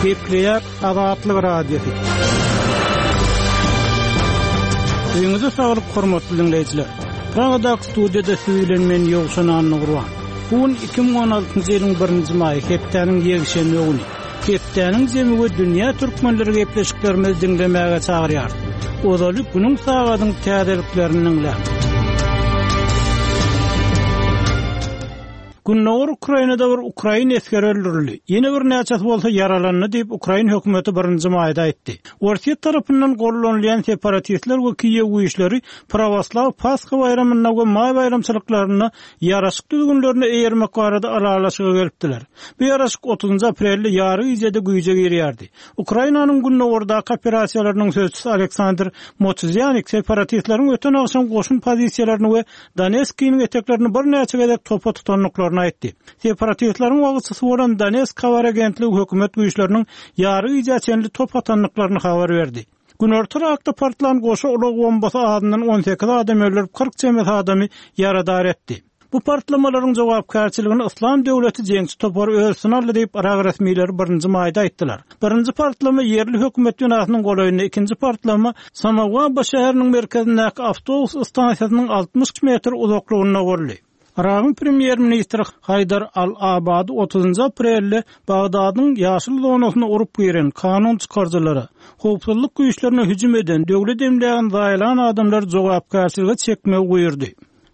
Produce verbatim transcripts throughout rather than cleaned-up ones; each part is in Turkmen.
Gepleýär Azatlyk Radiosy. Öýüňize saglyk hormatly dinleýjiler. Pragadaky studiýada siz bilen men Ýowşan Annagurban. Bu gün iki müň on altynjy ýylyň birinji maýy, hepdäniň ýekşenbe güni. Hepdäniň jemi we dünýä türkmenleri gepleşiklerimizi diňlemäge çagyrýar. Ozaly günüň sagadyň täzeliklerini diňläň. Gündogar Ukrainada bir Ukrain esgeri öldürildi. Ýene bir näçesi bolsa ýaralandy diýip Ukrain hökümeti birinji maýda aýtdy. Orsýet tarapyndan gollanylýan separatistler we Kiýew güýçleri Pravoslav Pasha baýramynda we maý baýramçylyklarynda ýaraşyk düzgünlerine eýermek barada ylalaşyga gelipdiler. Bu ýaraşyk otuzynjy aprelde ýary gijede güýje girýärdi. Ukrainanyň gündogardaky operasiýalarynyň sözçüsi Aleksandr Motuzyanik separatistleriň öten agşam goşun pozisiýalaryny we Donetskiniň eteklerini bir näçe gezek topa tutandyklaryny aýtdy. Separatistleriň wagtçysy bolan Donetsk habar agentligi hökümet güýçleriniň ýary gijä çenli top atandyklaryny habar berdi. Günorta Irakda partlan goşa ulag bombasy adyndan on sekiz adam öldürip, kyrk çemesi adamy ýaradar etdi. Bu partlamalaryň jogapkärçiligini Islam döwleti jeňçi topary öz üstüne aldy diýip Irak resmileri birinji maýda aýtdylar. Birinji partlama ýerli hökümet binasynyň golaýynda, ikinji partlama Samawaba şäheriniň merkezindäki awtobus stansiýasynyň altmyş metr uzaklygynda boldy. Iragyň premýer-ministri Haýdar Al-Abadi otuzynjy aprelde Bagdadyň ýaşyl zonasyna urup giren kanun çykaryjylara, howpsuzlyk güýçlerine hüjüm eden, döwlet emlägini zaýalan adamlar jogapkärçilige çekmegi buýurdy.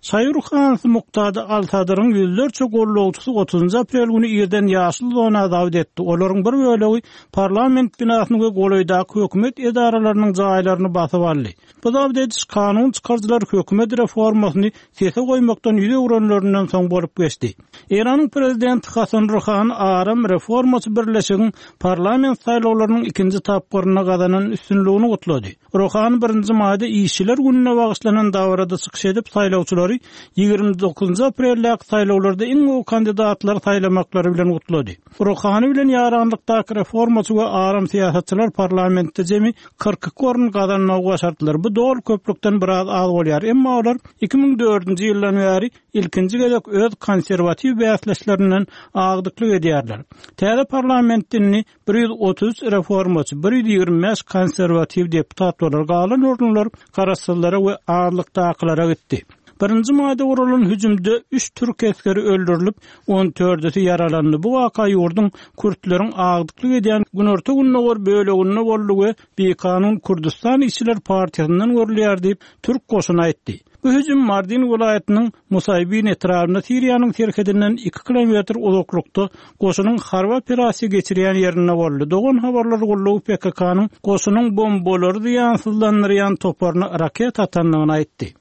Şaýur Hansi Muqtada Al-Sadryň ýüzlerçe gollawçysy otuzynjy aprel güni irden ýaşyl zona zawd etdi. Olaryň bir bölegi parlament binasyny we golaýdaky hökümet edaralarynyň jaýlaryny basyp aldy. Bu zawd ediş kanun çykaryjylar hökümet reformasyny sese goýmakdan ýüz öwrenlerinden soň bolup geçdi. Eýranyň prezidenti Hasan Ruhani aram reformaçy birleşigiň parlament saýlawlarynyň ikinji tapgyrynda gazanan üstünligini gutlady. Ruhani birinji maýda işçiler gününe bagyşlanan dabarada çykyş edip saýlawçylary ýigrimi dokuzynjy apreldäki saýlawlarda iň gowy kandidatlary saýlamaklary bilen gutlady. Ruhani bilen ýaranlykdaky reformaçy we aram syýasatçylar parlamentde jemi kyrk iki orun gazanmagy başardylar. Bu dol köplükden biraz az bolýar. Emma olar iki müň dördünji ýyldan bäri ilkinji gezek öz konserwatiw bäsleşlerinden agdyklyk edýärler. Täze parlament dinini bir ýüz otuz üç reformaçy, bir ýüz ýigrimi bäş konserwatiw deputat bolar. Galan orunlar garaşsyzlara we azlykdakylara gitdi. Birinji maýda guralan hüjümde üç türk esgeri öldürilip, on dördüsi ýaralandy. Bu waka ýurduň kürtleriň agdyklyk edýän Günorta Gündogar böleginde boldy we Bikanun Kürdistan İşçiler Partiýasyndan görülýär diýip Türk goşuny aýtdy. Bu hüjüm Mardin welaýatynyň Musaýbin etrabynda Siriýanyň serhedinden iki kilometr uzaklykda goşunyň harby operasiýa geçirýän ýerinde boldy. Dogan habarlar gullugy P K K-nyň goşunyň bombalary zyýansyzlandyrýan toparyna raket atandygyny aýtdy.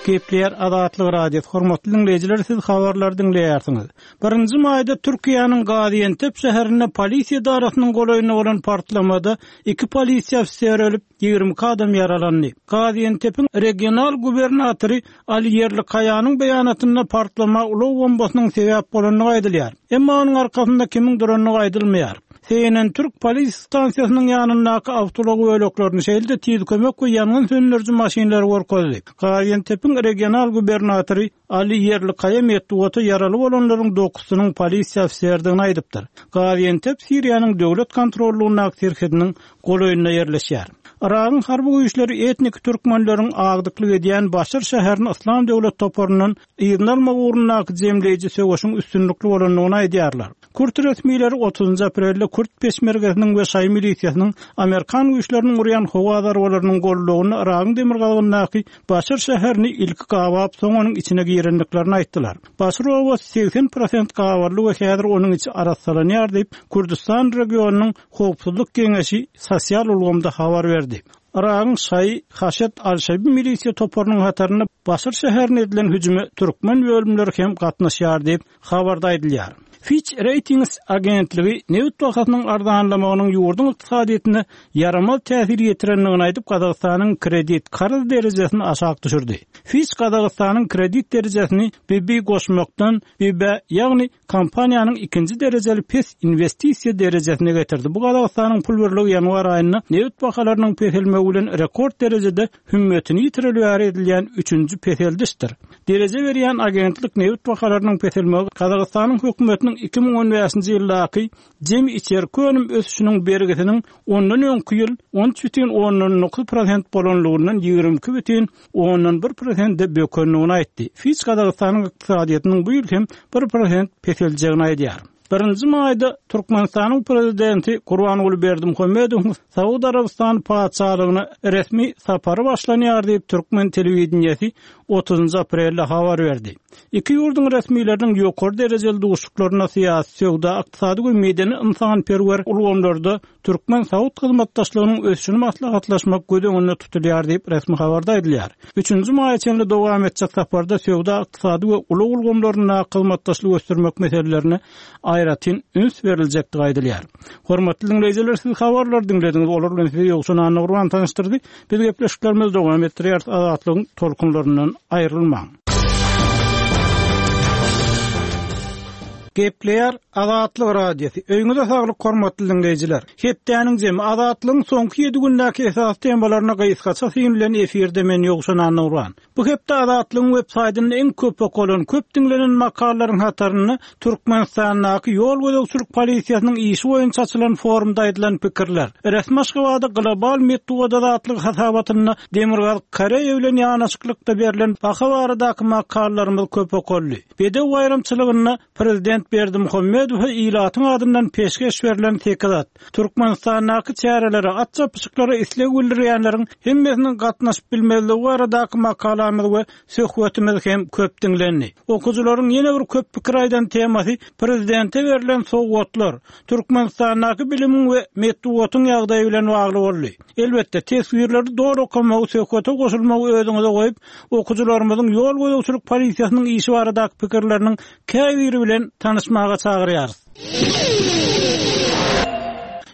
Gepleýär Azatlyk Radiosy. Hormatly dinleýjiler, siz habarlary diňleýärsiňiz. Birinji maýda Türkiýäniň Gaziantep şäherinde polisiýa edarasynyň golaýynda bolan partlamada iki polisiýa ofiseri ölüp, ýigrimi iki adam ýaralandy. Gaziantepiň regional gubernatory Ali Yerlikaýanyň beýanatynda partlama ulag bombasynyň sebäp bolandygy aýdylýar. Emma onuň arkasynda kimiň durandygy aýdylmaýar. C N N Türk polis stansiýasynyň ýanyndaky awtoulag böleklerini şeýle-de tiz kömek we ýangyn söndüriji maşynlary görkezdi. Gaziantepiň regional gubernatory Ali Yerlikaýa metbugata ýaraly bolanlaryň dokuzynyň polisiýa ofiseridigini aýdypdyr. Gaziantep Siriýanyň döwlet kontrollugyndaky serhediniň golaýynda ýerleşýär. Iragyň harby güýçleri etnik türkmenleriň agdyklyk edýän Başar şäheriniň Islam döwlet toparyndan yzyny almak ugrundaky jemleýji söweşiň üstünlikli bolandygyny aýdýarlar. Kürt resmileri otuzynjy aprelde Kürt peşmergesiniň we Şaý milisiýasynyň Amerikan güýçleriniň urýan howa zarbalarynyň gollugyny Iragyň demirgazygyndaky Başar şäherini ilki gabap, soň onuň içine girendiklerini aýtdylar. Başar obasy seksen prosent gabarly we häzir onuň içi arassalanýar diýip, Kürdistan regionynyň Howpsuzlyk Geňeşi sosial ulgamda habar berdi. Iragyň Şaý Haşet Al-Şabi milisiýa toparynyň hatarynda Başar şäherine edilen hüjüme türkmen bölümleri hem gatnaşýar diýip habarda aýdylýar. Fitch Ratings agentligi nebit bahasynyň arzanlamagynyň ýurduň ykdysadyýetine ýaramaz täsir ýetirendigini aýdyp, Gazagystanyň kredit karz derejesini aşak düşürdi. Fitch Gazagystanyň kredit derejesini B B goşmakdan B B, ýagny kompaniýanyň ikinji derejeli pes inwestisiýa derejesine getirdi. Bu Gazagystanyň pul birligi ýanwar aýynda nebit bahalarynyň peselmegi bilen rekord derejede hümmetini ýitireli bäri edilýän üçünji peseldişdir. Dereje berýän agentlik nebit bahalarynyň peselmegi Gazagystanyň hökümetiniň iki müň on bäşinji ýyldaky jemi içerki önüm ösüşiniň bergisiniň ondan öňki ýyl on üç bütin ondan dokuz prosent bolanlygyndan ýigrimi iki bütin ondan bir prosente bökendigini aýtdy. Fitch Gazagystanyň ykdysadyýetiniň bu ýyl hem bir prosent peseljegini aýdýar. Birinji maýda Türkmenistanyň prezidenti Gurbanguly Berdimuhamedowyň Saud Arabystany patyşalygyna resmi sapary başlanýar diýip Türkmen telewideniýesi otuzynjy aprelde habar berdi. Iki ýurduň resmileriniň ýokary derejeli duşuşyklaryna syýasy, söwda, ykdysady we medeni ynsanperwer ulgamlarda Türkmen-Saud hyzmatdaşlygynyň ösüşini maslahatlaşmak göz öňünde tutulýar diýip resmi habarda aýdylýar. Üçünji maýa çenli dowam etjek saparda söwda, ykdysady we ulag ulgamlarynda hyzmatdaşlyk ösdürmek meselelerine aýratyn üns beriljekdigi aýdylýar. Hormatly dinleýjiler, siz habarlary diňlediňiz. Olar bilen sizi Ýowşan Annagurban tanyşdyrdy. Biz gepleşiklerimizi dowam etdirýäris. Azatlygyň tolkunlaryndan aýrylmaň. Gepleýär Azatlyk Radiosy. Öýüňize saglyk hormatly dinleýjiler. Hepdäniň jemi Azatlygyň soňky ýedi gündäki esasy temalaryna gysgaça syn bilen efirde men Ýowşan Annagurban. Bu hepde Azatlygyň web saýtynda iň köp okalan, köp diňlenen makalalaryň hatarynda Türkmenistandaky ýol gözegçilik polisiýasynyň işi boýunça açylan forumda aýdylan pikirler, resmi Aşgabatda global metbugat azatlygy hasabatynda Demirgazyk Koreýa bilen ýanaşyklykda berlen baha baradaky makalalarymyz köp okaldy. Bedew baýramçylygynda Prezident Berdimuhamedowa ilatyň adyndan peşgeş berlen sekiz at, Türkmenistandaky çärelere, at çapyşyklara isleg bildirýänleriň hemmesiniň gatnaşyp bilmezligi baradaky makalamyz we söhbetimiz hem köp diňlendi. Okujylaryň ýene bir köp pikir aýdan temasy prezidente berlen sowgatlar, Türkmenistandaky bilimiň we metbugatyň ýagdaýy bilen bagly boldy. Elbetde, teswirleri dogry okamagy, söhbete goşulmagy özüňize goýup, okujylarymyzyň ýol gözegçilik polisiýasynyň işi baradaky pikirleriniň käbiri bilen tanyşmaga çagyrýarys.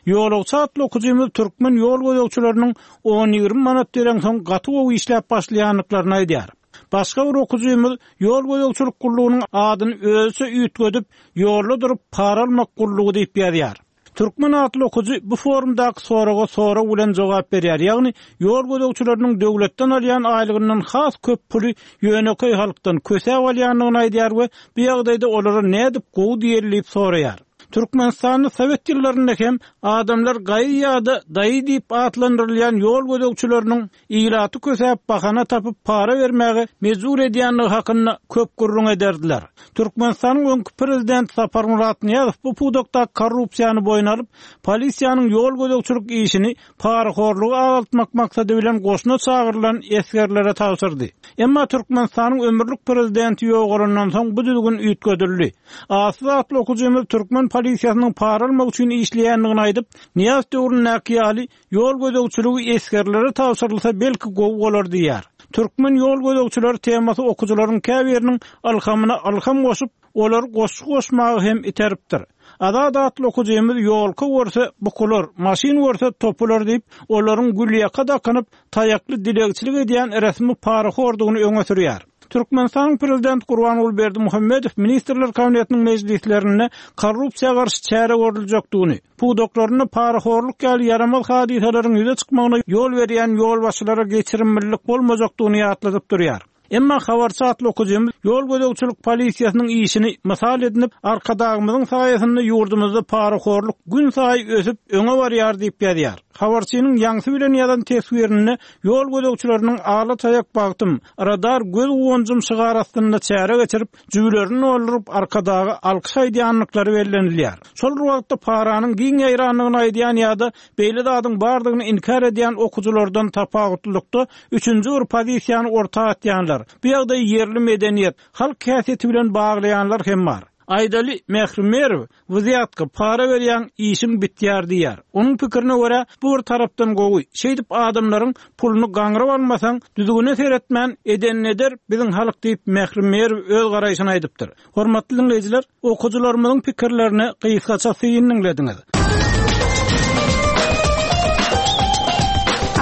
Ýolagçy atly okujymyz türkmen ýol gözegçileriniň on ýigrimi manat beren soň gaty gowy işläp başlaýandyklaryny aýdýar. Başga bir okujymyz ýol gözegçilik gullugynyň adyny özüçe üýtgedip, ýolda durup para almak gullugy diýip ýazýar. Türkmen atly okujy bu forumdaky soraga sorag bilen jogap berýär. Ýagny ýol gözegçileriniň döwletden alýan aýlygyndan has köp puly ýönekeý halkdan kösäp alýandygyny aýdýar we bu ýagdaýda olara nädip gowy diýeli diýip soraýar. Türkmenistanda Sowet ýyllarynda hem adamlar gaýy ýa-da daýy diýip atlandyrylýan ýol gözegçileriniň ilaty kösäp bahana tapyp para bermäge mejbur edýändigi hakynda köp gürrüň ederdiler. Türkmenistanyň öňki prezident Saparmyrat Nyýazow bu pudakda korrupsiýany boýun alyp, polisiýanyň ýol gözegçilik işini parahorlugy azaltmak maksady bilen goşuna çagyrylan esgerlere tabşyrdy. Emma Türkmenistanyň ömürlik prezidenti ýogalandan soň bu düzgün üýtgedildi. Asly atly okujymyz türkmen polisiýasynyň para almak üçin işleýändigini aýdyp, Nyýazow döwründäki ýaly ýol gözegçiligi esgerlere tabşyrylsa belki gowy bolar diýär. Türkmen ýol gözegçileri temasy okujylaryň käbiriniň ylhamyna ylham goşup, olar goşgy goşmagy hem iteripdir. Azat atly okujymyz ýolka görse bukular, maşyn görse topular diýip, olaryň gülýaka dakynyp, taýakly dilegçilik edýän resmi parahordugyny öňe sürýär. Türkmenistanyň prezident Gurbanguly Berdimuhamedow Ministrler Kabinetiniň mejlislerinde korrupsiýa garşy çäre görüljekdigini, pudaklarynda parahorluk ýaly ýaramaz hadysalaryň ýüze çykmagyna ýol berýän ýolbaşçylara geçirimlilik bolmajakdygyny ýatladyp durýar. Emma habarçy atly okujymyz ýol gözegçilik polisiýasynyň işini mysal edinip, Arkadagymyzyň saýasynda ýurdumyzda parahorluk gün saýy ösüp öňe barýar diýip ýazýar. Habarçynyň ýaňsy bilen ýazan teswirinde ýol gözegçileriniň ala taýak bagtym, radar göz guwanjym şygar astynda çäre geçirip, jübülerini dolduryp Arkadaga alkyş aýdýanlyklary bellenilýär. Şol bir wagtda paranyň giň ýaýrandygyny aýdýan ýa-da beýle zadyň bardygyny inkär edýän okujylardan tapawutlylykda üçünji bir pozisiýany orta atýanlar, bu ýagdaýy ýerli medeniýet, halk häsiýeti bilen baglaýanlar hem bar. Aýdaly, Mähri Merow "Wzýatka, para berýäň, işiň bitýär" diýýär. Onuň pikirine görä, bu bir tarapdan gowy. Şeýdip adamlaryň puluny gaňryp almasaň, düzgüne seretmän edenini eder biziň halk diýip Mähri Merow öz garaýşyny aýdypdyr. Hormatly diňleýjiler, okyjylarymyzyň pikirlerine gysgaça syn diňlediňiz.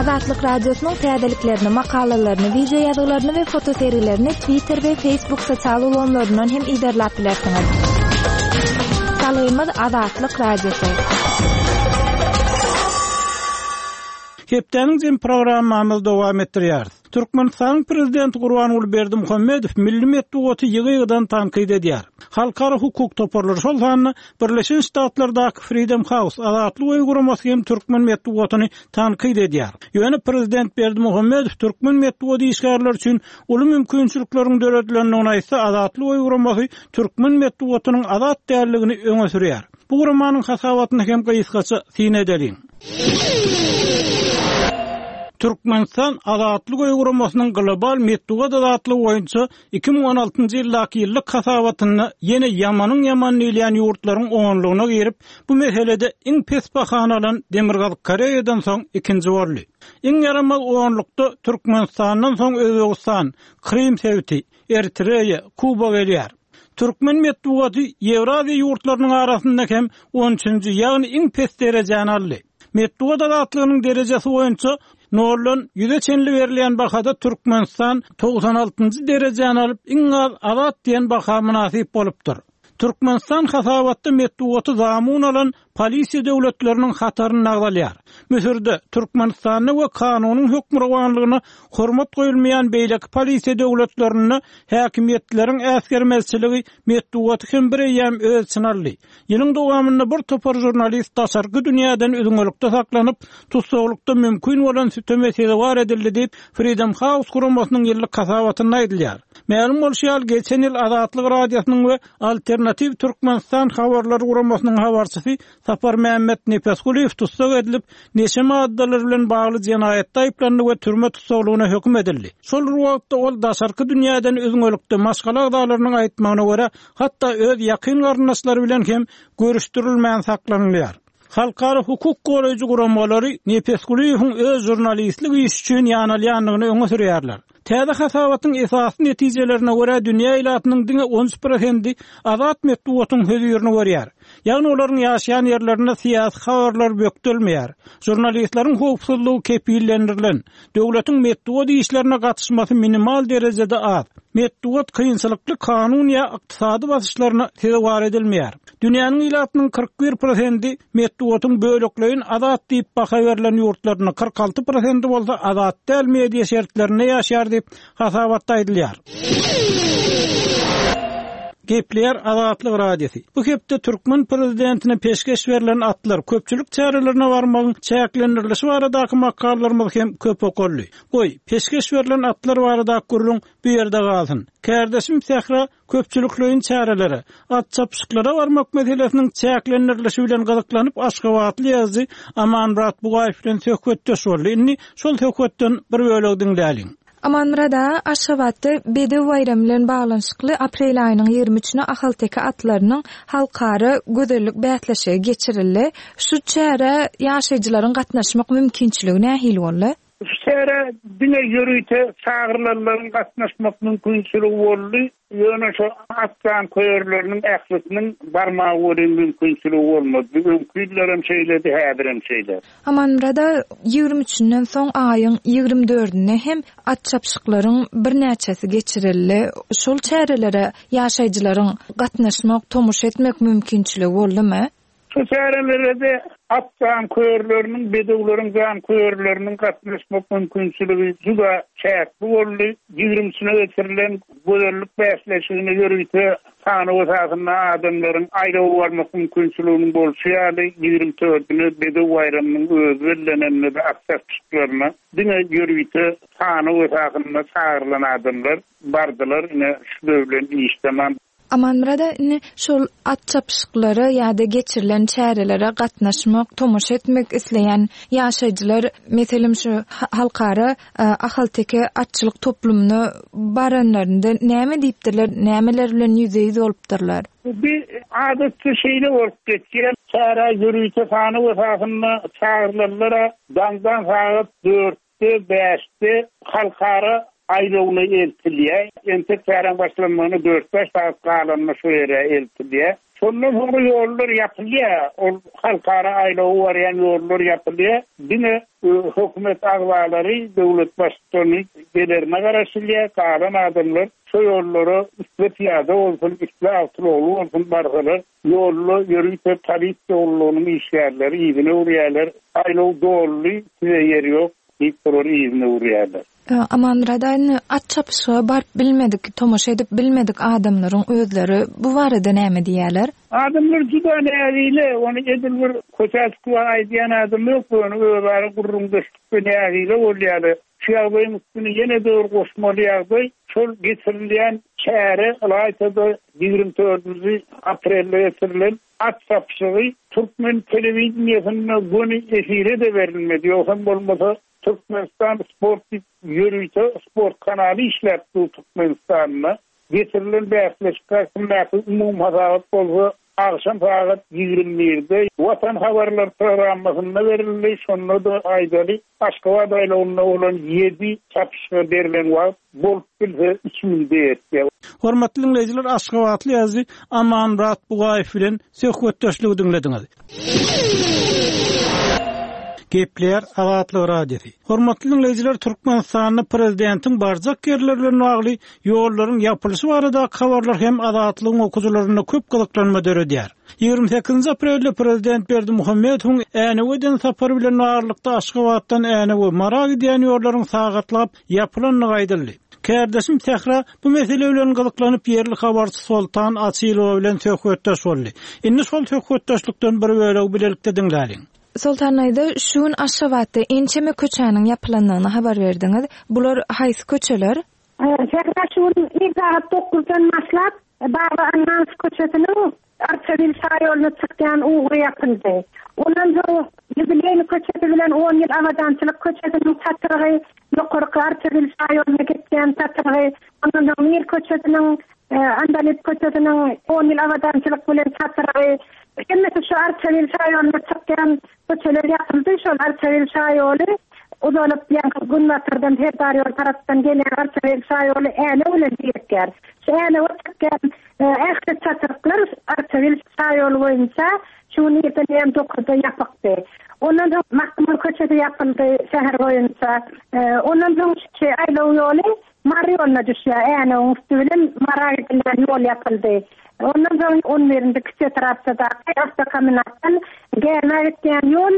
Azatlyk Radiosynyň täzeliklerini, makalalaryny, wideo ýazgylaryny we fotosergilerini Twitter we Facebook sosial ulgamlaryndan hem yzarlap bilersiňiz. Salgymyz Azatlyk Radiosy. Hepdäniň jem programmamyzy dowam etdirýäris. Türkmenistanyň prezidenti Gurbanguly Berdimuhamedow milli metbugaty ýygy-ýygydan tankyt edýär. Halkara hukuk toparlary, şol sanda Birleşen Ştatlardaky Freedom House Azatlyk öýi guramasy hem türkmen metbugatyny tankyt edýär. Ýöne prezident Berdimuhamedow türkmen metbugat işgärleri üçin uly mümkinçilikleriň döredilendigini aýtsa, Azatlyk öýi guramasy türkmen metbugatynyň azat däldigini öňe sürýär. Bu guramanyň hasabatyny hem gysgaça syn edeliň. Türkmenistan Azatlyk öýi guramasynyň global metbugat azatlygy boýunça iki müň on altynjy ýyldaky ýyllyk hasabatynda ýene ýamanyň ýaman diýilýän ýurtlaryň onlugyna girip, bu meselede iň pes bahany alan Demirgazyk Koreýadan soň ikinji boldy. Iň ýaramaz onlukda Türkmenistandan soň Özbegistan, Krym sebiti, Eritreýa, Kuba gelýär. Türkmen metbugaty Ýewraziýa ýurtlarynyň arasynda hem on üçünji, ýagny iň pes derejäni aldy. Metbugat azatlygynyň derejesi boýunça noldan ýüze çenli berilýän bahada Türkmenistan togsan altynjy derejäni alyp, iň az azat diýen baha mynasyp bolupdyr. Türkmenistan hasabatda metbugaty zamun alan polisiýa döwletleriniň hatarynda agzalýar. Müsürde, Türkmenistanda we kanunyň hökmürowanlygyna hormat goýulmaýan beýleki polisiýa döwletlerinde häkimiýetleriň äsgermezçiligi metbugaty hem bir eýýäm öz içine aldy. Ýylyň dowamynda bir topar žurnalist daşarky dünýäden üzňelikde saklanyp, tussaglykda mümkin bolan süteme sezewar edildi diýip, Freedom House guramasynyň ýyllyk hasabatynda aýdylýar. Mälim bolşy ýaly, geçen ýyl Azatlyk Radiosynyň we Alternativ Türkmenistan habarlary guramasynyň habarçysy Sapar Mämmet Nepesgulyýew tussag edilip, neşe maddalary bilen bagly jenaýatda aýyplandy we türme tussaglygyna höküm edildi. Şol bir wagtda ol daşarky dünýäden üzňelikde maşgala agzalarynyň aýtmagyna görä, hatda öz ýakyn garyndaşlary bilen hem görüşdirilmän saklanylýar. Halkara hukuk goraýjy guramalary Nepesgulyýewiň öz žurnalistlik işi üçin ýanalýandygyny öňe sürýärler. Täze hasabatyň esasy netijelerine görä dünýä ilatynyň diňe on üç prosendi azat metbugatyň hözirini görýär. Ýagny olaryň ýaşaýan ýerlerinde syýasy habarlar bökdelmeýär. Žurnalistleriň howpsuzlygy kepillendirilen, döwletiň metbugat işlerine gatyşmasy minimal derejede az. Metbugat kynçylykly kanun ýa ykdysady basyşlaryna sezewar edilmeýär. Dünýäniň ilatynyň kyrk bir prosendi metbugatyň bölekleýin azat diýip baha berlen ýurtlaryna, kyrk alty prosendi bolsa azat däl media şertlerinde ýaşaýar diýip hasabatda aýdylýar. Gepleýär Azatlyk Radiosy. Bu hepde türkmen prezidentine peşgeş berlen atlar, köpçülik çärelerine barmagyň çäklendirilişi baradaky makalalarymyz hem köp okaldy. Goý, peşgeş berlen atlar baradaky gürrüň bu ýerde galsyn. Kärdeşim Sähra köpçülikleýin çärelere, at çapyşyklara barmak meselesiniň çäklendirilişi bilen gyzyklanyp Aşgabatly ýazyjy Amanmyrat Bugaýew bilen söhbetdeş boldy. Indi şol söhbetden bir bölek diňläliň. Amanmyrat aga, Aşgabatda Bedew baýramy bilen baglanyşykly aprel aýynyň ýigrimi üçüne Ahalteke atlarynyň halkara gözellik bäsleşigi geçirildi. Şu çärä ýaşaýjylaryň gatnaşmak mümkinçiligi nähili boldy? Şu çärä diňe ýörite çagyrylanlaryň gatnaşmak mümkinçiligi boldy. Ýöne şu at janköýerleriniň ählisiniň barmagy welin mümkinçiligi bolmady. Öňki ýyllar hem şeýledi, häzir hem şeýle. Amanmyrat aga, ýigrimi üçünden soň aýyň ýigrimi dördünde hem at çapyşyklaryň birnäçesi geçirildi. Şol çärelere ýaşaýjylaryň gatnaşmak, tomaşa etmek mümkinçiligi boldumy? Şu çärelere de at janköýerleriniň, bedewleriň janköýerleriniň gatnaşmak mümkinçiligi juda çäkli boldy. Ýigrimi üçüne geçirilen gözellik bäsleşigine ýörite sanaw esasynda adamlaryň aýlaw barmak mümkinçiliginiň bolşy ýaly, ýigrimi dördüne Bedew baýramynyň özi bellenende de at çapyşyklaryna diňe ýörite sanaw esasynda çagyrylan adamlar bardylar. Ine şu döwlen iş tamam. Amanmyrat aga, indi şol at çapyşyklara ýa-da geçirilen çärelere gatnaşmak, tomaşa etmek isleýän ýaşaýjylar, meselem, şu halkara Ahalteke atçylyk toplumyna baranlarynda näme diýipdirler, nämeler bilen ýüzbe-ýüz bolupdyrlar? Bu adatça şeýle bolup geçýär. Çärä ýörite sanaw esasynda çagyrylanlara daňdan sagat dörtde, bäşde halkara aýlawyna eltilýär. Entek çäräň başlanmagyna dört-bäş sagat galanda şo ýere eltilýär. Şondan soňra ýollar ýapylýar. Ol halkara aýlawa barýan ýollar ýapylýar. Diňe hökümet agzalary, döwlet baştutany gelerine garaşylýar. Galan adamlar şo ýollara isle pyýada bolsun, isle awtoulagly bolsun barsalar, ýolda ýörite polisiýa gullugynyň işgärleri yzyna öwürýärler. Aýlaw doldy, size ýer ýok diýip olary yzyna öwürýärler. Amanmyrat aga, indi at çapyşyga baryp bilmedik, tomaşa edip bilmedik adamlaryň özleri bu barada näme diýýärler? Adamlar juda nägile, ony edil bir köçä çykyp aýdýan adam ýok, ýöne özara gürrüňdeşlikde nägile bolýarlar. Şu ýagdaýyň üstüne ýene-de bir goşmaly ýagdaý, şol geçirilýän çäre ylaýta-da ýigrimi dördünji aprelde geçirilen at çapyşygy türkmen telewideniýesinde göni efire-de berilmedi, ýogsam bolmasa Türkmenistan sport diýip ýörite sport kanaly işläp dur Türkmenistanda. Geçirilen bäsleşik hakyndaky umumy hasabat bolsa agşam sagat ýigrimi birde Watan habarlar programmasynda berildi. Şonda-da aýdaly, Aşgabat aýlawynda bolan ýedi çapyşyga berlen wagt bolup bilse üç minute ýetýär. Hormatly diňleýjiler, Aşgabatly ýazyjy Amanmyrat Bugaýew bilen söhbetdeşligi diňlediňiz. Gepleýär Azatlyk Radiosy. Hormatly diňleýjiler, Türkmenistanda prezidentiň barjak ýerleri bilen bagly ýollaryň ýapylyşy baradaky habarlar hem Azatlygyň okyjylarynda köp gyzyklanma döredýär. Ýigrimi sekizinji aprelde prezident Berdimuhamedowyň Änewe eden sapary bilen baglylykda Aşgabatdan Änewe Mara gidýän ýollaryň sagatlap ýapylandygy aýdyldy. Kärdeşim Sähra bu mesele bilen gyzyklanyp ýerli habarçy Soltan Açylowa bilen söhbetdeş boldy. Indi şol söhbetdeşlikden bir bölegi bilelikde diňläliň. Soltan aýda, şu gün Aşgabatda ençeme köçäniň ýapylandygyny habar berdiňiz. Bular haýsy köçeler? Sähra şu gün ir sagat dokuzdan başlap Baba Annanow köçesiniň Arçabil şaýolyna çykýan ugry ýapyldy. Ondan soň Ýubileýni köçesi bilen on ýyl Abadançylyk köçesiniň çatrygy, ýokarky Arçabil şaýolyna geçýän çatrygy, ondan soň Mir köçesiniň, Andalyp köçesiniň on ýyl Abadançylyk bilen çatrygy, hemmesi şu Arçabil şaýolyna çykýan köçeler ýapyldy. Şol Arçabil şaýoly uzalyp, ýaňky günbatardan Serdar ýol tarapdan gelýän Arçabil şaýoly Änew bilen birikýär. Şu Änewe çykýan, ähli çatryklar Arçabil şaýoly boýunça şu gün irden hem dokuzda ýapykdy. Ondan soň Magtymguly köçesi ýapyldy şäher boýunça. Ondan soň şu aýlaw ýoly Mary ýoluna düşýär. Änewiň üsti bilen Mara gidilýän ýol ýapyldy. Ondan soň on birinji kiçi etrapçadaky awtokombinatdan Gämä gidýän ýol,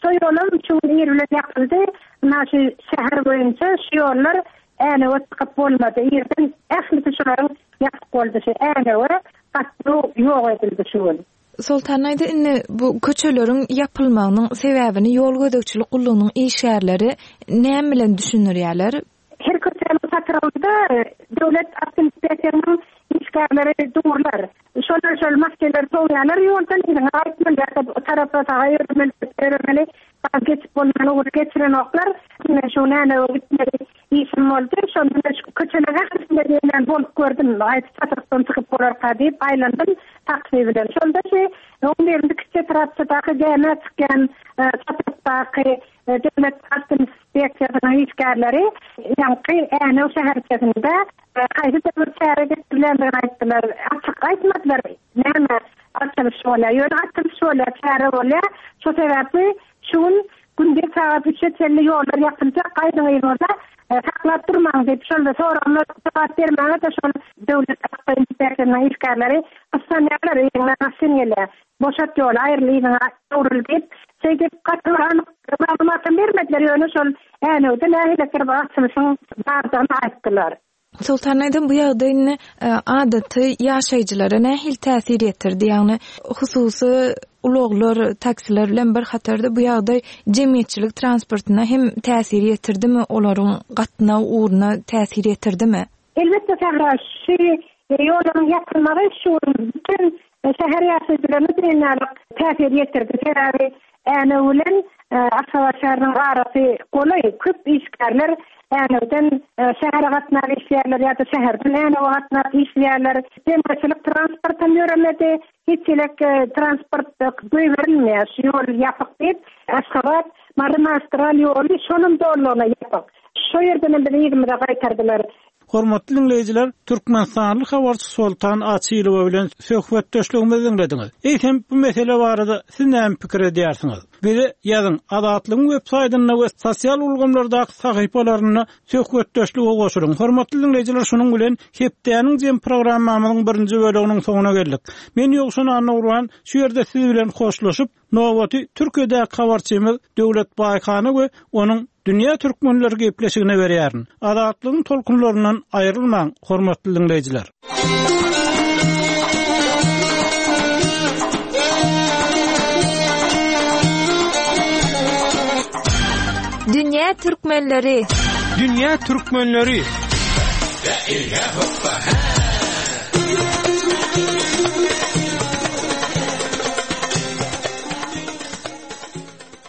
şo ýolam şu gün ir bilen ýapyldy. Ynha şu şäher boýunça şu ýollar Änewe çykyp bolmady. Irden ählisi şolaryň ýapyk boldy. Şu Änewe gatnaw ýok edildi şu gün. Soltan aýda, indi bu köçeleriň ýapylmagynyň sebäbini ýol gözegçilik gullugynyň işgärleri näme bilen düşündirýärler? Her köçäniň çatrygynda döwlet awtoinspeksiýasynyň işgärleri durlar. Şolar şol maskeleri soýarlar, ýoldan yzyna gaýtmaly, ýa-da o tarapa saga ýöremeli, ýöremeli, geçip bolman ugry geçirenoklar. Men şu näme gitmeli işim boldy. Şonda men şu köçeleriň ählisinde diýen bolup gördüm. Aýt çatrykdan çykyp bolarka diýip aýlandym taksi bilen. Şonda şu on birinji kiçi etrapçadaky gämä çykýan, çatrykdaky, döwlet awtoinspeksiýasynyň işgärleri ýaňky Änew şäherçesinde haýsy bir çäre geçirilendigini aýtdylar. Açyk aýtmadylar. Näme açylyş bolýar? Ýöne açylyş bolýar, çäre bolýar. Şu sebäpli şu gün gündiz sagat üçe çenli ýollar ýapyljak, gaýdyň yzyňyza, saklap durmaň diýip, şol soraglar jogap bermäge de şol döwlet awtoinspeksiýasynyň işgärleri gyssanýarlar, yzyňdan maşyn gelýär. Boşat ýoly, aýryl yzyňa öwrül diýip, şeýdip gaty bir anyk maglumatam bermediler, ýöne şol Änewde nähili bir açylyşyň bardygyny aýtdylar. Soltan aýdym, bu ýagdaý indi, adaty ýaşaýjylara nähili täsir ýetirdi? Ýagny hususy ulaglar, taksiler bilen bir hatarda bu ýagdaý jemgyýetçilik transportyna hem täsir ýetirdimi, olaryň gatnaw ugruna täsir ýetirdimi? Elbetde Sähra, şu Ýollaryň ýapylmagy şu bütün şäher ýaşaýjylaryna diýenlik täsir ýetirdi. Sebäbi Änew bilen Aşgabat şäheriniň arasy golaý, köp işgärler Änewden şähere gatnap işleýärler ýa-da şäherden Änewe gatnap işleýärler. Jemgyýetçilik transport hem ýöremedi. Hiç elek transport goýberilmeýär. Şu ýol ýapyk diýip, Aşgabat Mary magistral ýoly şonuň dollugyna ýapyk. Şu ýerden hem bizi yzymyza gaýtardylar. Hormatly dinleýjiler, Türkmenistanly habarçy Soltan Açylowa bilen söhbetdeşligimizi dinlediňiz. Eýsem bu mesele barada siz näme pikir edýärsiňiz? Bize ýazyň Azatlygyň web saýtynda we sosial ulgamlardaky sahypalarynda söhbetdeşlige goşulyň. Hormatly dinleýjiler, şunuň bilen hepdäniň jem programmamyzyň birinji bölüminiň soňuna geldik. Men Ýowşan Annagurban şu ýerde siz bilen hoşlaşyp, Nowaty Türkiýedäki habarçymyz Döwlet Baýhana we onuň Dünýä Türkmenleri gepleşigine berýärin. Azatlygyň tolkunlaryndan aýrylmaň, hormatly dinleýjiler. Dünýä Türkmenleri. Dünýä Türkmenleri.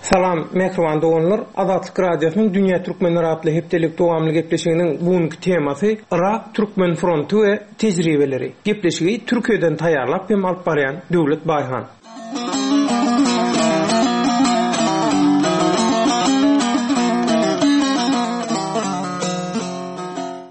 Salam, mehriban doganlar. Azatlyk Radiosynyň Dünýä Türkmenleri atly hepdelik dowamly gepleşiginiň bugünkü temasy Irak Türkmen fronty we tejribeleri. Gepleşigi Türkiýeden taýýarlap hem alyp barýan Döwlet Baýhan.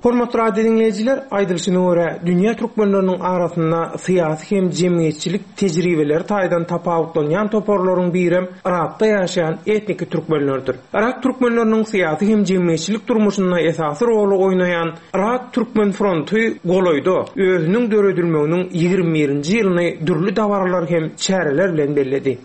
Hormatly radio dinleýjiler, aýdylyşyna görä, dünýä türkmenleriniň arasynda syýasy hem jemgyýetçilik tejribeleri taýdan tapawutlanýan toparlaryň birem Irakda ýaşaýan etniki türkmenlerdir. Irak türkmenleriniň syýasy hem jemgyýetçilik durmuşynda esasy roly oýnaýan Irak Türkmen fronty golaýda özüniň döredilmeginiň ýigrimi birinji ýylyny dürli dabaralar hem çäreler bilen belledi.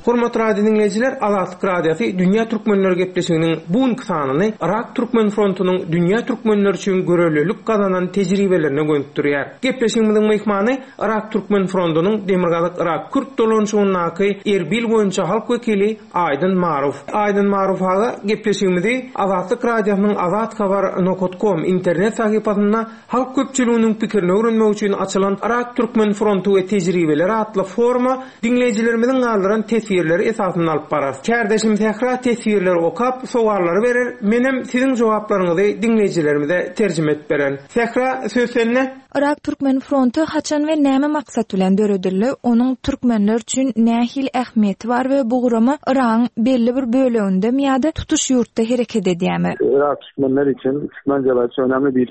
Hormatly radio dinleýjiler, Azatlyk Radiosy Dünýä Türkmenleri gepleşiginiň bugünkü sanyny Irak Türkmen frontunyň dünýä türkmenleri üçin görelilik gazanan tejribelerine gönükdirýär. Gepleşigimiziň myhmany Irak Türkmen frontunyň Demirgazyk Irak Kürt dolanşygyndaky Erbil boýunça halk wekili Aýdyn Maruf. Aýdyn Maruf aga gepleşigimizi Azatlyk Radiosynyň Azat Habar nokta com internet sahypasynda halk köpçüliginiň pikirini öwrenmek üçin açylan Irak Türkmen frontu we tejribeleri atly foruma dinleýjilerimiziň galdyran teswirleri esasynda alyp barar. Kärdeşim Sähra teswirleri okap, sowallary berer, menem siziň jogaplaryňyzy dinleýjilerimize terjime edip beren. Sähra, söz sende. Irak Türkmen fronty haçan we näme maksat bilen döredildi? Onuň türkmenler üçin nähili ähmiýeti bar we bu gurama Iragyň belli bir böleginde ýa-da tutuş ýurtda hereket edýärmi? Irak Türkmenler için Türkmen cebesi önemli bir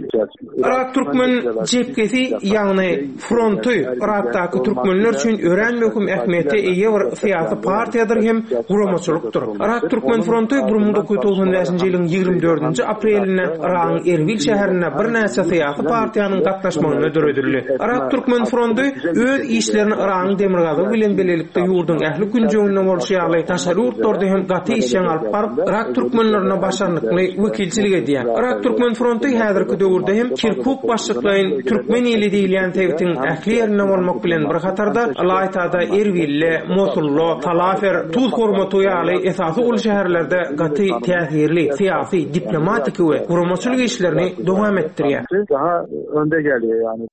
Irak Türkmen cephesi, ýagny fronty Irakdaky türkmenler üçin örän möhüm ähmiýete eýe bir syýasy partiýadyr hem guramaçylykdyr. Irak Türkmen fronty bir müň dokuz ýüz togsan bäşinji ýylyň ýigrimi dördünji aprelinde Iragyň Erbil şäherinde birnäçe syýasy partiýanyň gatnaşmagynda döredildi. Irak Türkmen fronty öz işlerini Iragyň demirgazygy bilen birlikde ýurduň ähli künjeginde bolşy ýaly daşary ýurtlarda hem gaty işjeň alyp baryp, Irak türkmenlerine başarnykly wekilçilik edýär. Irak Türkmen fronty häzirki döwürde hem Kirkuk başlyklaýyn Türkmen ili diýilýän sebitiň ähli ýerinde bolmak bilen bir hatarda Alaytada, Erbilde, Mosulda, Talafer, Tuz Hormatu ýaly esasy uly şäherlerde gaty täsirli syýasy, diplomatiki we guramaçylyk işlerini dowam etdirýär. Daha önde geliyor yani.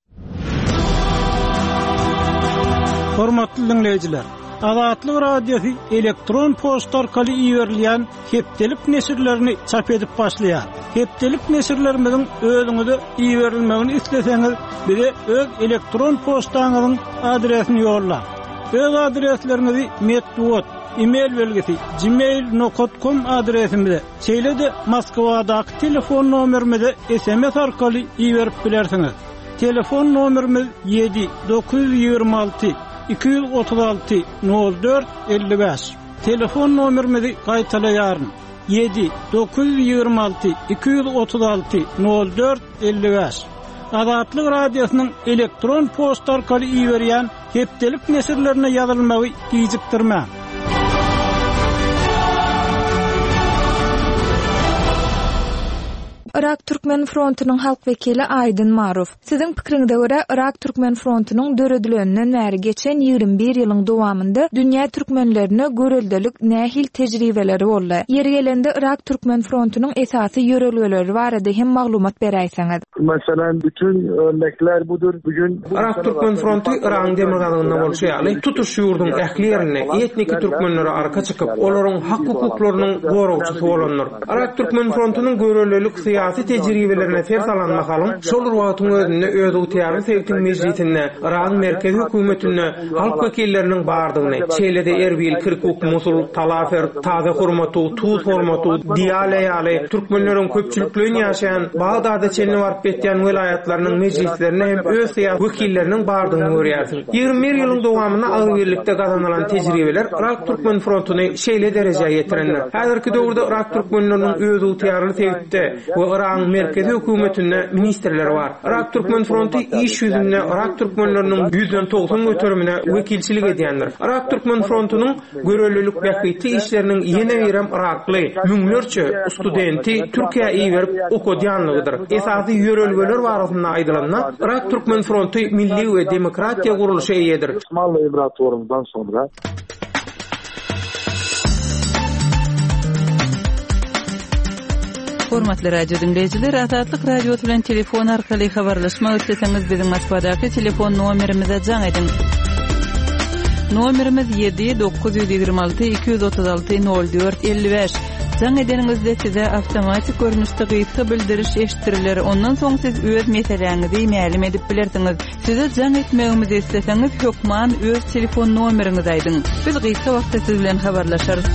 Hormatly dinleýjiler, Azatlyk Radiosy elektron poçta arkaly iberilýän hepdelik neşirlerini çap edip başlaýar. Hepdelik neşirlerimiziň özüňize iberilmegini isleseňiz, bize öz elektron poçtaňyzyň adresini ýollaň. Öz adresleriňizi metbugat, e-mail belgisi gmail nokta com adresimize, şeýle-de Moskwadaky telefon nomerimize S M S arkaly iberip bilersiňiz. Telefon nomerimiz ýedi dokuz ýüz ýigrimi alty iki ýüz otuz alty nol dört elli bäş. Telefon nomerimizi gaýtalaýaryn. Ýedi dokuz ýüz ýigrimi alty iki ýüz otuz alty nol dört elli bäş. Azatlyk Radiosynyň elektron poçta arkaly iberýän hepdelik neşirlerine ýazylmagy gijikdirmäň. Yrak Türkmen frontunyň halk wekili Aýdyn Maruf. Siziň pikiriňize görä Yrak Türkmen frontunyň döredileninden bäri geçen ýigrimi bir ýylyň dowamynda dünýä türkmenlerine göreldelik nähili tejribeleri boldy? Ýeri gelende Yrak Türkmen frontunyň esasy ýörelgeleri barada hem maglumat beräýseňiz. Meselem bütün örnekler budur. Bugün Yrak Türkmen fronty Yragyň demirgazygynda bolşy ýaly, tutuş ýurduň ähli ýerinde etniki türkmenlere arka çykyp, olaryň hak-hukuklarynyň goragçysy bolandyr. Yrak Türkmen frontunyň göreldelik syýasy tejribelerine ser salan mahalyň, şol bir wagtyň özünde özygtyýarly sebitiň mejlisinde, Yragyň merkezi hökümetinde halk wekilleriniň bardygyny, şeýle-de Erbil, Kirkuk, Musul, Talafer, Taze Hurmatu, Tuz Hormatu, Diýale ýaly türkmenleriň köpçülikleýin ýaşaýan Bagdada çenli baryp ýetýän welaýatlarynyň mejlislerinde hem öz syýasy wekilleriniň bardygyny görýärsiň. Ýigrimi bir ýylyň dowamynda agzybirlikde gazanylan tejribeler Yrak Türkmen frontuny şeýle derejä ýetirendir. Häzirki döwürde Yrak türkmenleriniň özygtyýarly sebitde we Yragyň merkezi hökümetinde ministrleri bar. Yrak Türkmen fronty iş ýüzünde Yrak türkmenleriniň ýüzden togsan göterimine wekilçilik edýändir. Yrak Türkmen frontunyň görelilik bähbitli işleriniň ýene birem yrakly müňlerçe studenti Türkiýä iberip okadýanlygydyr. Esasy ýörelgeler barasynda aýdylanda, Yrak Türkmen fronty milli we demokratiýa gurluşa eýedir. Osmanly İmparatorluğundan sonra Hormatly radio diňleýjiler, Azatlyk Radiosy bilen telefon arkaly habarlaşmak isleseňiz biziň Moskwadaky telefon nomerimize jaň ediň. Nomerimiz ýedi dokuz ýüz ýigrimi alty iki ýüz otuz alty nol dört elli bäş. Jaň edeniňizde size awtomatik görnüşde gysga bildiriş eşitdiriler. Ondan soň siz öz meseläňizi mälim edip bilersiňiz. Size jaň etmegimizi isleseňiz hökman öz telefon nomeriňizi aýdyň. Biz gysga wagtda siz bilen habarlaşarys.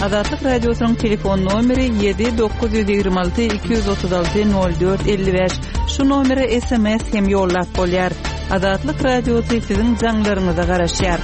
Azatlyk Radiosynyň telefon nomeri ýedi dokuz ýüz ýigrimi alty iki ýüz otuz alty nol dört elli bäş. Şu nomere S M S hem ýollap bolýar. Azatlyk Radiosy siziň jaňlaryňyza garaşýar.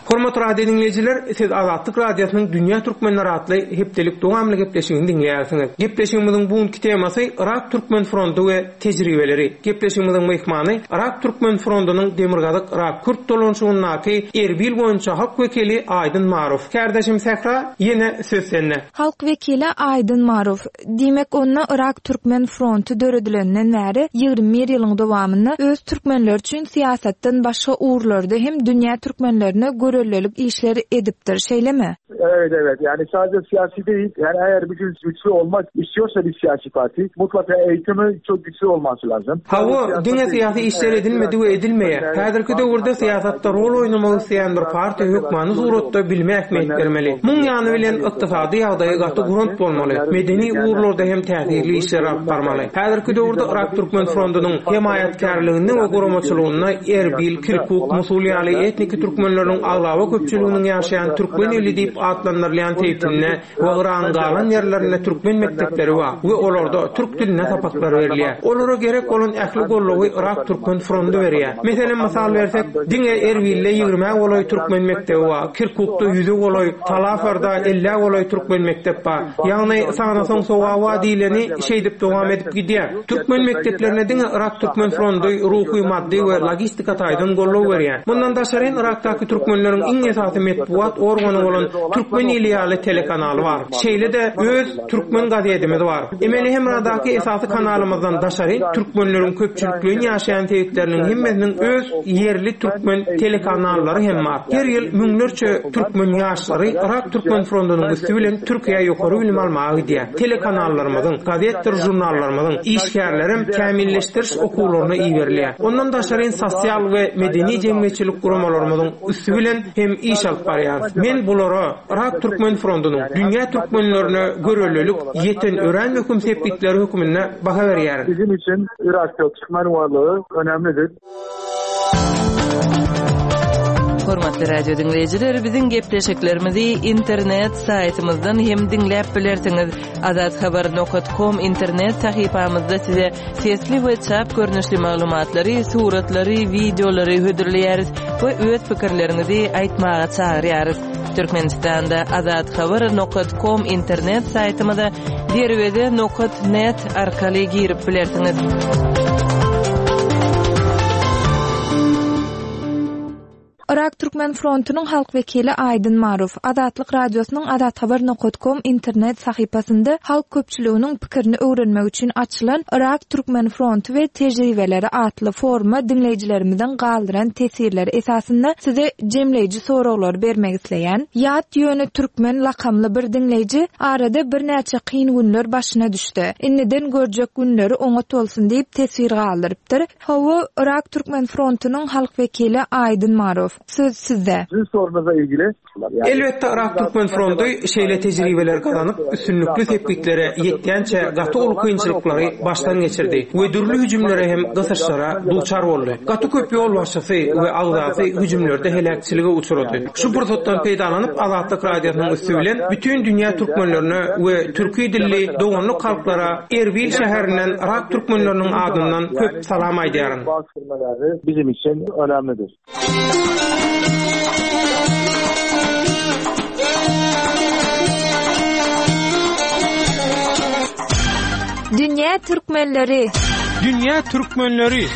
Hormatly radio dinleýjiler, siz Azatlyk Radiosynyň Dünýä Türkmenleri atly hepdelik dowamly gepleşigini diňleýärsiňiz. Gepleşigimiziň bugünki temasy Yrak Türkmen fronty we tejribeleri. Gepleşigimiziň myhmany Yrak Türkmen frontunyň Demirgazyk Yrak Kürt dolanşygyndaky Erbil boýunça halk wekili Aýdyn Maruf. Kärdeşim Sähra, ýene söz sende. Halk wekili Aýdyn Maruf, diýmek onda Yrak Türkmen fronty döredilenden bäri ýigrimi bir ýylyň dowamynda öz türkmenler üçin syýasatdan başga ugurlarda hem dünýä türkmenlerine görellilik işleri edipdir, şeýlemi? Evet, evet. Yani sadece siyasi değil. Yani eğer bir gün güçlü olmak istiyorsa bir siyasi parti mutlaka eğitimi çok güçlü olması lazım. Hawa, diňe syýasy işler edilmedi we edilmeýär. Häzirki döwürde syýasatda rol oýnamagy isleýän bir partiýa hökmany suratda bilime ähmiýet bermeli. Muň ýany bilen ykdysady ýagdaýy gaty gurant bolmaly. Medeni ugurlarda hem täsirli işler alyp barmaly. Häzirki döwürde Yrak Türkmen frontunyň hemaýatkärliginde we guramaçylygynda Erbil, Kirkuk, Musul ýaly etniki türkmenleriniň aglaba köpçüliginiň ýaşaýan türkmen eli diýip atlandyrylýan sebitinde we Yragyň galan ýerlerinde türkmen mekdepleri bar we olarda türk dilinde sapaklar berilýär. Olara gerek bolan ähli gollugy Yrak Türkmen fronty berýär. Meselem, mysal bersek, diňe Erbilde ýigrimi golaý türkmen mekdebi bar, Kirkukda ýüze golaý, Talafarda elli golaý türkmen mekdep bar. Ýagny sanasaň sogawa diýleni şeýdip dowam edip gidýär. Türkmen mekdeplerine diňe Yrak Türkmen fronty ruhy, maddy we logistika taýdan gollugy berýär. Mundan daşary Yrakdaky türkmenleriň iň esasy metbugat organy bolan Türkmen ili ýaly telekanaly bar. Şeýle-de öz Türkmen gazetimiz bar. Emeli Hemradaky esasy kanalymyzdan daşary türkmenleriň köpçülikleýin ýaşaýan sebitleriniň hemmesiniň öz ýerli türkmen telekanallary hem bar. Her ýyl müňlerçe türkmen ýaşlary Yrak Türkmen frontunyň üsti bilen Türkiýä ýokary bilim almaga gidýär. Telekanallarymyzyň, gazetdir jurnallarymyzyň işgärlerim kämilleşdiriş okuwlaryna iberilýär. Ondan daşary sosial we medeni jemgyýetçilik guramalarymyzyň üsti bilen hem iş alyp barýar. Men bulara Yrak Türkmen frontunyň dünýä türkmenlerine görelilik ýeten örän möhüm sepgitleri hökmünde baha berýär. Bizim için Irak'ta Türkmen varlığı önemlidir. Hormatly radio dinleýjiler, biziň gepleşiklerimizi internet saýtymyzdan hem diňläp bilersiňiz. Azathabar nokta com internet sahypamyzda size sesli we çap görnüşli maglumatlary, suratlary, wideolary hödürleýäris we öz pikirleriňizi aýtmaga çagyrýarys. Türkmenistanda azathabar nokta com internet saýtymyza derweze nokta net arkaly girip bilersiňiz. Yrak Türkmen frontunyň halk wekili Aýdyn Marow, Azatlyk Radiosynyň Azathabar nokat kom internet sahypasynda halk köpçüliginiň pikirini öwrenmek üçin açylan Yrak Türkmen fronty we tejribeleri atly foruma diňleýjilerimiziň galdyran teswirleri esasynda size jemleýji soraglary bermek isleýän. Ýat ýöne türkmen lakamly bir diňleýji arada birnäçe kyn günler başyna düşdi. Indiden görjek günleri oňat bolsun diýip teswir galdyrypdyr. Hawa, Yrak Türkmen frontunyň halk wekili Aýdyn Marow, söz sizde. Sizin sorunuza ilgili. Elbetde Yrak Türkmen fronty şeýle tejribeleri gazanyp, üstünlikli sepgitlere ýetýänçä gaty uly kynçylyklary başdan geçirdi we dürli hüjümlere hem gysyşlara duçar boldy. Gaty köp ýolbaşçysy we agzasy hüjümlerde heläkçilige uçrady. Şu pursatdan peýdalanyp Azatlyk Radiosynyň üsti bilen bütin dünýä türkmenlerine we türki dilli doganlyk halklara Erbil şäherinden Yrak türkmenleriniň adyndan köp salam aýdýaryn. Bizim için önemlidir. Dünýä türkmenleri! Dünýä türkmenleri!